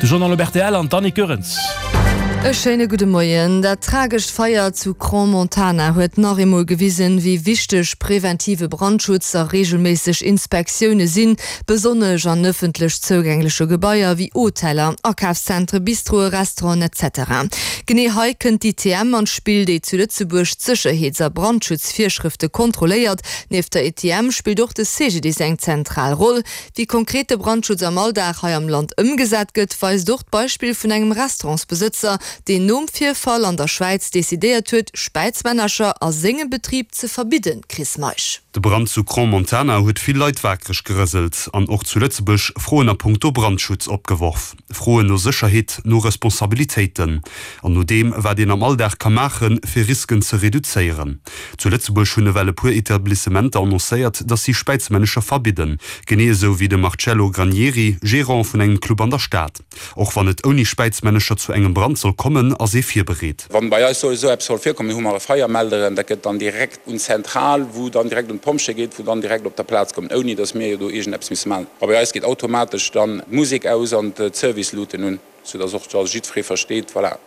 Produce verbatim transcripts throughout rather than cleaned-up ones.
De Journal op rtl an d'Annick Goerens. E schéine gudde Moien. Dat tragescht Feier zu Crans-Montana huet nach eemol gewisen, wéi wichteg preventive Brandschutz a reegelméisseg Inspektioune sinn, besonnesch an ëffentlech zougängleche Gebaier wéi Hoteller, Akafszentre, Bistroe, Restauranten etc. Genee hei kënnt d'ITM an d'Spill, déi zu Lëtzebuerg d'Sécherheets a Brandschutzvirschrëfte kontrolléiert. Nieft der ITM spillt och de CGDIS eng zentral Roll. Wéi konkret de Brandschutz am Alldag hei am Land ëmgesat gëtt, weist och d'Beispill vun engem Restaurantsbesëtzer, deen nom Virfall an der Schwäiz decidéiert huet, Späizmännercher a sengem Betrib ze verbidden, Chris Meisch. De Brand zu Crans-Montana huet vill Leit wakereg gerëselt an och zu Lëtzebuerg Froen a punkto Brandschutz opgeworf. Froen no Sécherheet, no Responsabilitéiten an no deem, wat een am Alldag ka maachen, fir Risken ze reduzéieren. Zu Lëtzebuerg hunn ewell e puer Etablissementer annoncéiert, dass si Späizmännecher verbidden. Genee esou wéi de Marcello Granieri, Gerant vun engem Club an der Stad. Och wann et ouni Späizmännecher zu engem Brand soll kommen, ass ee virbereet. Wann bei eis esou eppes soll virkommen, mir hu mer e Feiermelder, dat gëtt dann direkt un d'Zentral, wou dann direkt un d'Pompjeeë geet, wou dann direkt op der Plaz kommen, ouni datt mir do iergendeppes misse maachen. A bei eis geet automatesch dann d'Musek aus an d'Service-Luuten un, sou datt och da jiddweree versteet, voilà,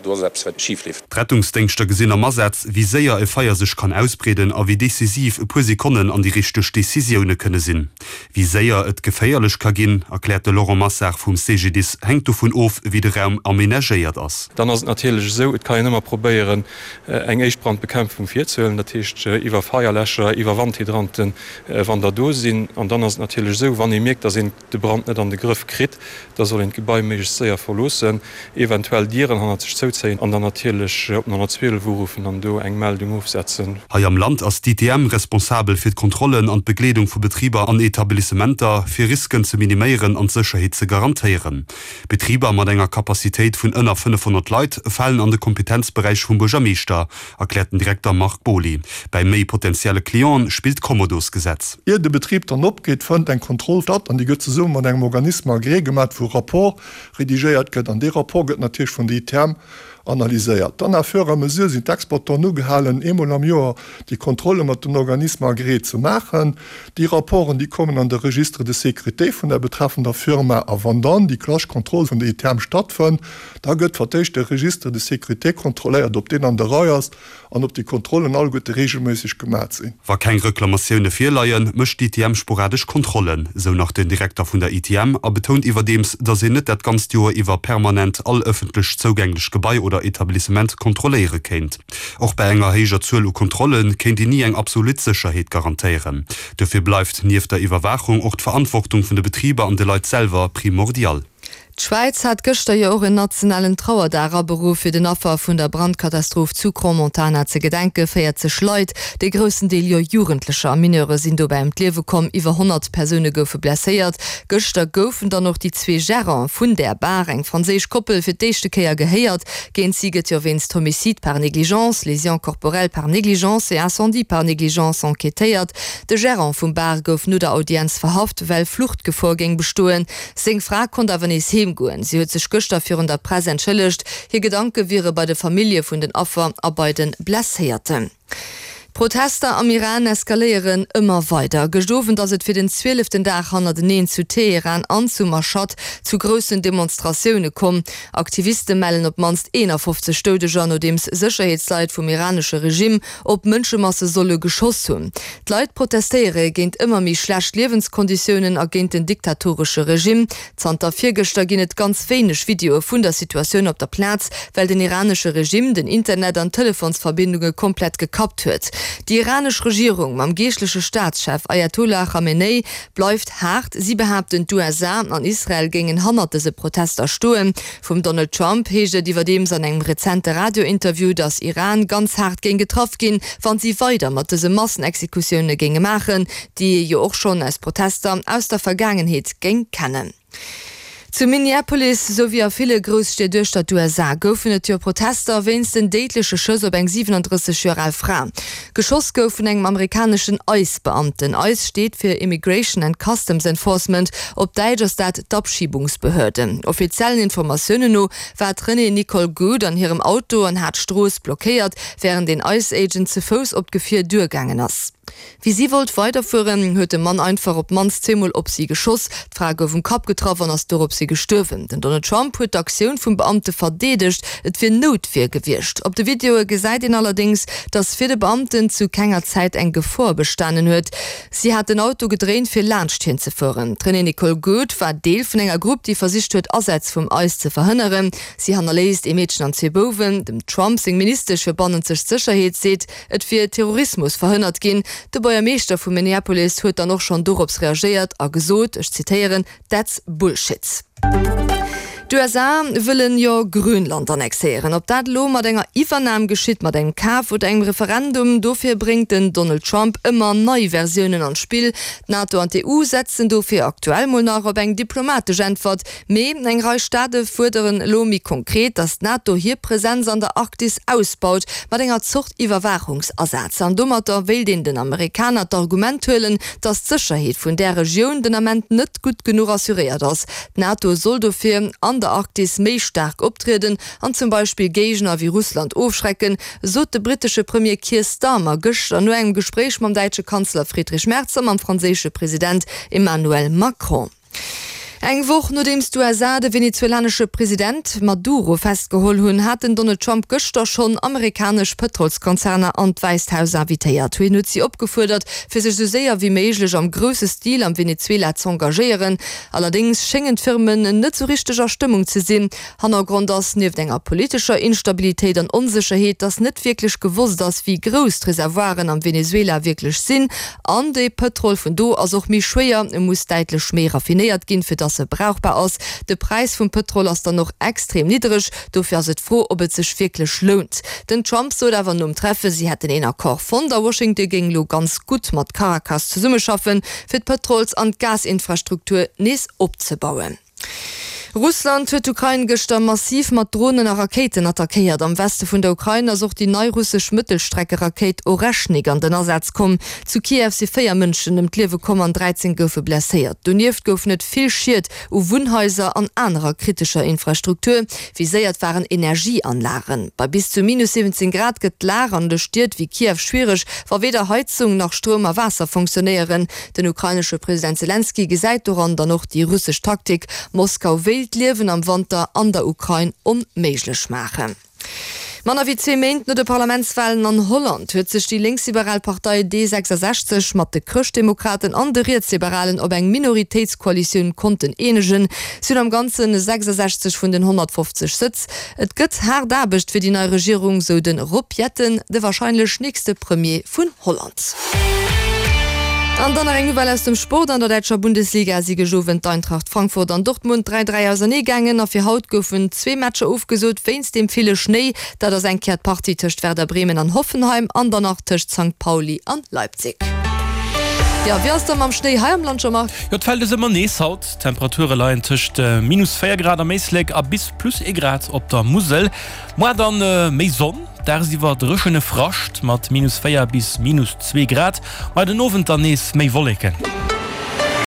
do ass eppes wat schif leeft. D'Rettungsdéngschter gesinn am Asaz, wéi séier e Feier sech kann ausbreeden a wéi decisiv e puer Sekonnen an déi richteg Decisioune kënne sinn. Wéi séier et geféierlech ka ginn, erkläert de Laurent Massard vum CGDIS, hänkt dovun of, wéi de Raum amenagéiert ass. Dann ass et natierlech esou, et kann een ëmmer probéieren, eng éischt Brandbekämpfung virzehuelen, dat heescht iwwer Feierläscher, iwwer Wandhydranten, wann der do sinn. An dann ass et natierlech esou, wann ee mierkt, datt een de Brand net an de Grëff kritt, da soll een d'Gebai méiglechst séier verloossen, eventuell Dieren hannert sech zouzéien an dann natierlech op den honnertzwielef uruffen an do eng Meldung ofsetzen. Hei am Land ass d'ITM responsabel fir d'Kontrollen an d'Begleedung vu Betriber an Etablissementer, fir Risken ze miniméieren an d'Sécherheet ze garantéieren. Betriber mat enger Capacitéit vun ënner fënnefhonnert Leit falen an de Kompetenzberäich vum Buergermeeschter, erkläert den Direkter Marc Boly. Bei méi potenzielle Clienten spillt d'Kommodosgesetz. Ier de Betrib dann opgeet, fënnt eng Kontroll statt an déi gëtt zesumme mat engem Organisme agréé gemaach, wou e Rapport redigéiert gëtt an dee Rapport gëtt natierlech vun der I T M analyséiert. Dann à fur et à mesure sinn d'Exploitanten ugehalen, eemol am Joer déi Kontrolle mat den Organismes agréés ze maachen. Déi Rapporten, déi kommen an de Registre de sécurité vun der betreffender Firma a wann dann déi klassesch Kontroll vun der I T M stattfënnt, da gëtt fir d'éischt de Registre de sécurité kontrolléiert, ob deen an der Rei ass an ob déi Kontrollen alleguerte reegelméisseg gemaach sinn. Wa keng Reklamatioune virleien, mécht d'I T M sporadesch Kontrollen, sou nach den Direkter vun der I T M a betount iwwerdeems, datt een net dat ganzt Joer iwwer permanent all ëffentlech zougänglech Gebai oder Etablissement kontrolléiere kéint. Och bei enger héijer Zuel u Kontrolle kéint een ni eng absolut Sécherheet garantéieren. Dofir bleift nieft der Iwwerwaachung och d'Verantwortung vun de Betriber an de Leit selwer primordial. D'Schwäiz hat gëschter jo och en nationalen Trauerdag aberuff, fir den Affer vun der Brandkatastroph zu Crans-Montana ze gedenken. véierzeg Leit, de groussen Deel jo Jugendlecher a Mineure sinn dobäi ëm d'Liewe komm, iwwer honnert Persoune goufe blesséiert. Gëschter goufen dann och déi zwee Gerante vun där Bar, eng franséisch Koppel, fir d'éischte Kéier gehéiert. Géint si gëtt jo wéinst Homicide par négligence, lésions corporelles par négligence et incendie par négligence enquêtéiert. De Gerant vum Bar gouf no der Audienz verhaft, well Fluchtgefor géing bestoen. Seng Fra konnt awer nees heem goen. Si huet sech gëschter virun der Press entschëllegt. Hir Gedanke wiere bei de Famillje vun den Affer a bei de Blesséierten. D'Protester am Iran eskaléieren ëmmer weider. Gëscht Owend ass et fir den zwieleften Dag hannerteneen zu Teheran an zu Mashhad zu groussen Demonstratioune komm. Aktiviste mellen op d'mannst eenafofzeg Doudeger, nodeems Sécherheetsleit vum iranesche Regime op Mënschemasse solle geschoss hunn. D'Leit protestéiere géint ëmmer méi schlecht Liewenskonditiounen a géint den diktatoresche Regime. Zanter virgëschter ginn et ganz wéineg Videoe vun der Situatioun op der Plaz, well den iranesche Regime den Internet an d'Telefonsverbindunge komplett gekappt huet. Déi iranesch Regierung mam geeschtleche Staatschef Ajatollah Chamenei bleift haart. Si behaapten, d'U S A an Israel géingen hannert dëse Protester stoen. Vum Donald Trump heescht et iwwerdeems an engem rezente Radiointerview, datt Iran ganz haart géing getraff ginn, wann si weider mat dëse Massenexekutioune géinge maachen, déi ee jo och schonn aus Protester aus der Vergaangenheet géing kennen. Zu Minneapolis souwéi a ville Grousstied duerch d'U S A goufen et jo Protester wéinst den déidleche Schëss op eng siwenandrësseg Joer al Fra. Geschoss gouf vun engem amerikaneschen ICE-Beamten. ICE steet fir Immigration and Customs Enforcement, op Däitsch ass dat d'Abschiebungsbehörde. Offiziellen Informatiounen no war d'Renee Nicole Good an hirem Auto an hat d'Strooss blockéiert, wärend den ICE-Agent ze Fouss op d'Gefier duergaangen ass. Wéi si wollt weiderfueren, huet de Mann einfach op d'mannst zweemol op si geschoss. D'Fra gouf um Kapp getraff an ass doropshi gestuerwen. Den Donald Trump huet d'Aktioun vum Beamte verdeedegt, et wier Noutwier gewiescht. Op de Videoe gesäit een allerdéngs, datt fir de Beamten zu kenger Zäit eng Gefor bestanen huet. Si hat den Auto gedréint, fir laanscht hien ze fueren. D'Renée Nicole Goode war Deel vun enger Grupp, déi versicht huet, Asätz vum ice ze verhënneren. Si hannerléisst ee Meedchen an zwee Bouwen. Dem Trump seng Ministesch fir bannenzeg Sécherheet seet, et wier Terrorismus verhënnert ginn. De Buergermeeschter vu Minneapolis huet dann och schonn dorops reagéiert a gesot, ech zitéieren, That's bullshit. D'USA wëllen jo Grönland annexéieren. Ob dat elo mat enger Iwwernam geschitt, mat engem Kaf oder engem Referendum, dofir bréngt den Donald Trump ëmmer nei Versiounen an d'Spill. D'NATO an d'EU setzen dofir aktuell mol nach op eng diplomatesch Äntwert. Mee eng Rei Staate fuerderen elo méi konkret, datt d'NATO hir Presenz an der Arktis ausbaut, mat enger Zort Iwwerwaachungsasaz. An domatter wéilt een den Amerikaner d'Argument huelen, datt d'Sécherheet vun där Regioun den Ament net gutt genuch assuréiert ass. D'NATO soll dofir an der Arktis méi staark optrieden an zum Beispill Géigner wéi Russland ofschrecken, sot de brittesche Premier Keir Starmer gëschter no engem Gespréich mam däitsche Kanzler Friedrich Merz a mam franséische President Emmanuel Macron. Eng Woch nodeems d'USA de venezuelanesche President Maduro festgeholl hunn, hat den Donald Trump gëschter schonn amerikanesch Pëtrolskonzerner an d'Wäisst Haus invitéiert. Hien huet si opgefuerdert, fir sech esou séier wéi méiglech am grousse Stil am Venezuela z'engagéieren. Allerdéngs schéngen d'Firmen net sou richteg a Stëmmung ze sinn. Hannergrond ass nieft enger politescher Instabilitéit an Onsécherheet, datt net wierklech gewosst ass, wéi grouss d'Reservoiren am Venezuela wierklech sinn. An de Pëtrol vun do ass och méi schwéier, e muss däitlech méi raffinéiert ginn, fir datt e brauchbar ass. De Präis vum Pëtrol ass dann och extrem niddereg, dofir ass et d'Fro, ob et sech wierklech lount. Den Trump sot awer nom Treffe, si hätten een Accord fonnt a Washington géing elo ganz gutt mat Caracas zesummeschaffen, fir d'Pëtrols an d'Gasinfrastruktur nees opzebauen. Russland huet d'Ukrain gëschter massiv mat Dronen a Rakéiten attackéiert. Am Weste vun der Ukrain ass och déi nei russesch Mëttelstreckerakéit Oreschnik an den Asaz komm. Zu Kiew si véier Mënschen ëm d'Liewe komm an dräizéng goufe blesséiert. Donieft goufen et vill Schied u Wunnhaiser an anerer kritescher Infrastruktur. Viséiert waren Energieanlagen. Bei bis zu minus siwwenzéng Grad gëtt d'Lag an de Stied wéi Kiew schwiereg, wa weder Heizung nach Stroum a Waasser funktionéieren. Den ukrainesche President Selenskyj gesäit doran dann och déi russesch Taktik, Moskau wéilt d'Liewen am Wanter an der Ukrain onméiglech maachen. Manner wéi zwee Méint no de Parlamentswalen an Holland huet sech déi lénksliberal Partei D sechsasechzeg mat de Chrëschtdemokraten an de Rietsliberalen op eng Minoritéitskoalitioun konnten eenegen. Si hunn am Ganze sechsasechzeg vun den honnertfofzeg Sëtz. Et gëtt haart Aarbecht fir déi nei Regierung, sou de Rob Jetten, de warscheinlech nächste Premier vun Holland. An dann nach eng Nouvelle aus dem Sport, An der däitscher Bundesliga si gëscht Owend d'Eintracht Frankfurt an Dortmund dräi dräi ausernee gaangen a fir haut goufen zwee Matcher ofgesot wéinst dem ville Schnéi. Dat ass eng Kéier d'Partie tëscht Werder Bremen an Hoffenheim an dann nach tëscht Sankt Pauli an Leipzig. Jo, wéi ass da mam Schnéi hei am Land, Jean-Marc? Jo, et fält es ëmmer nees haut. D'Temperature leien tëscht minus véier Grad am Éislek a bis plus ee Grad op der Musel. Moar dann méi Sonn, dagsiwwer dréchene Frascht mat minus véier bis minus zwee Grad, ma den Owend dann nees méi Wolleken.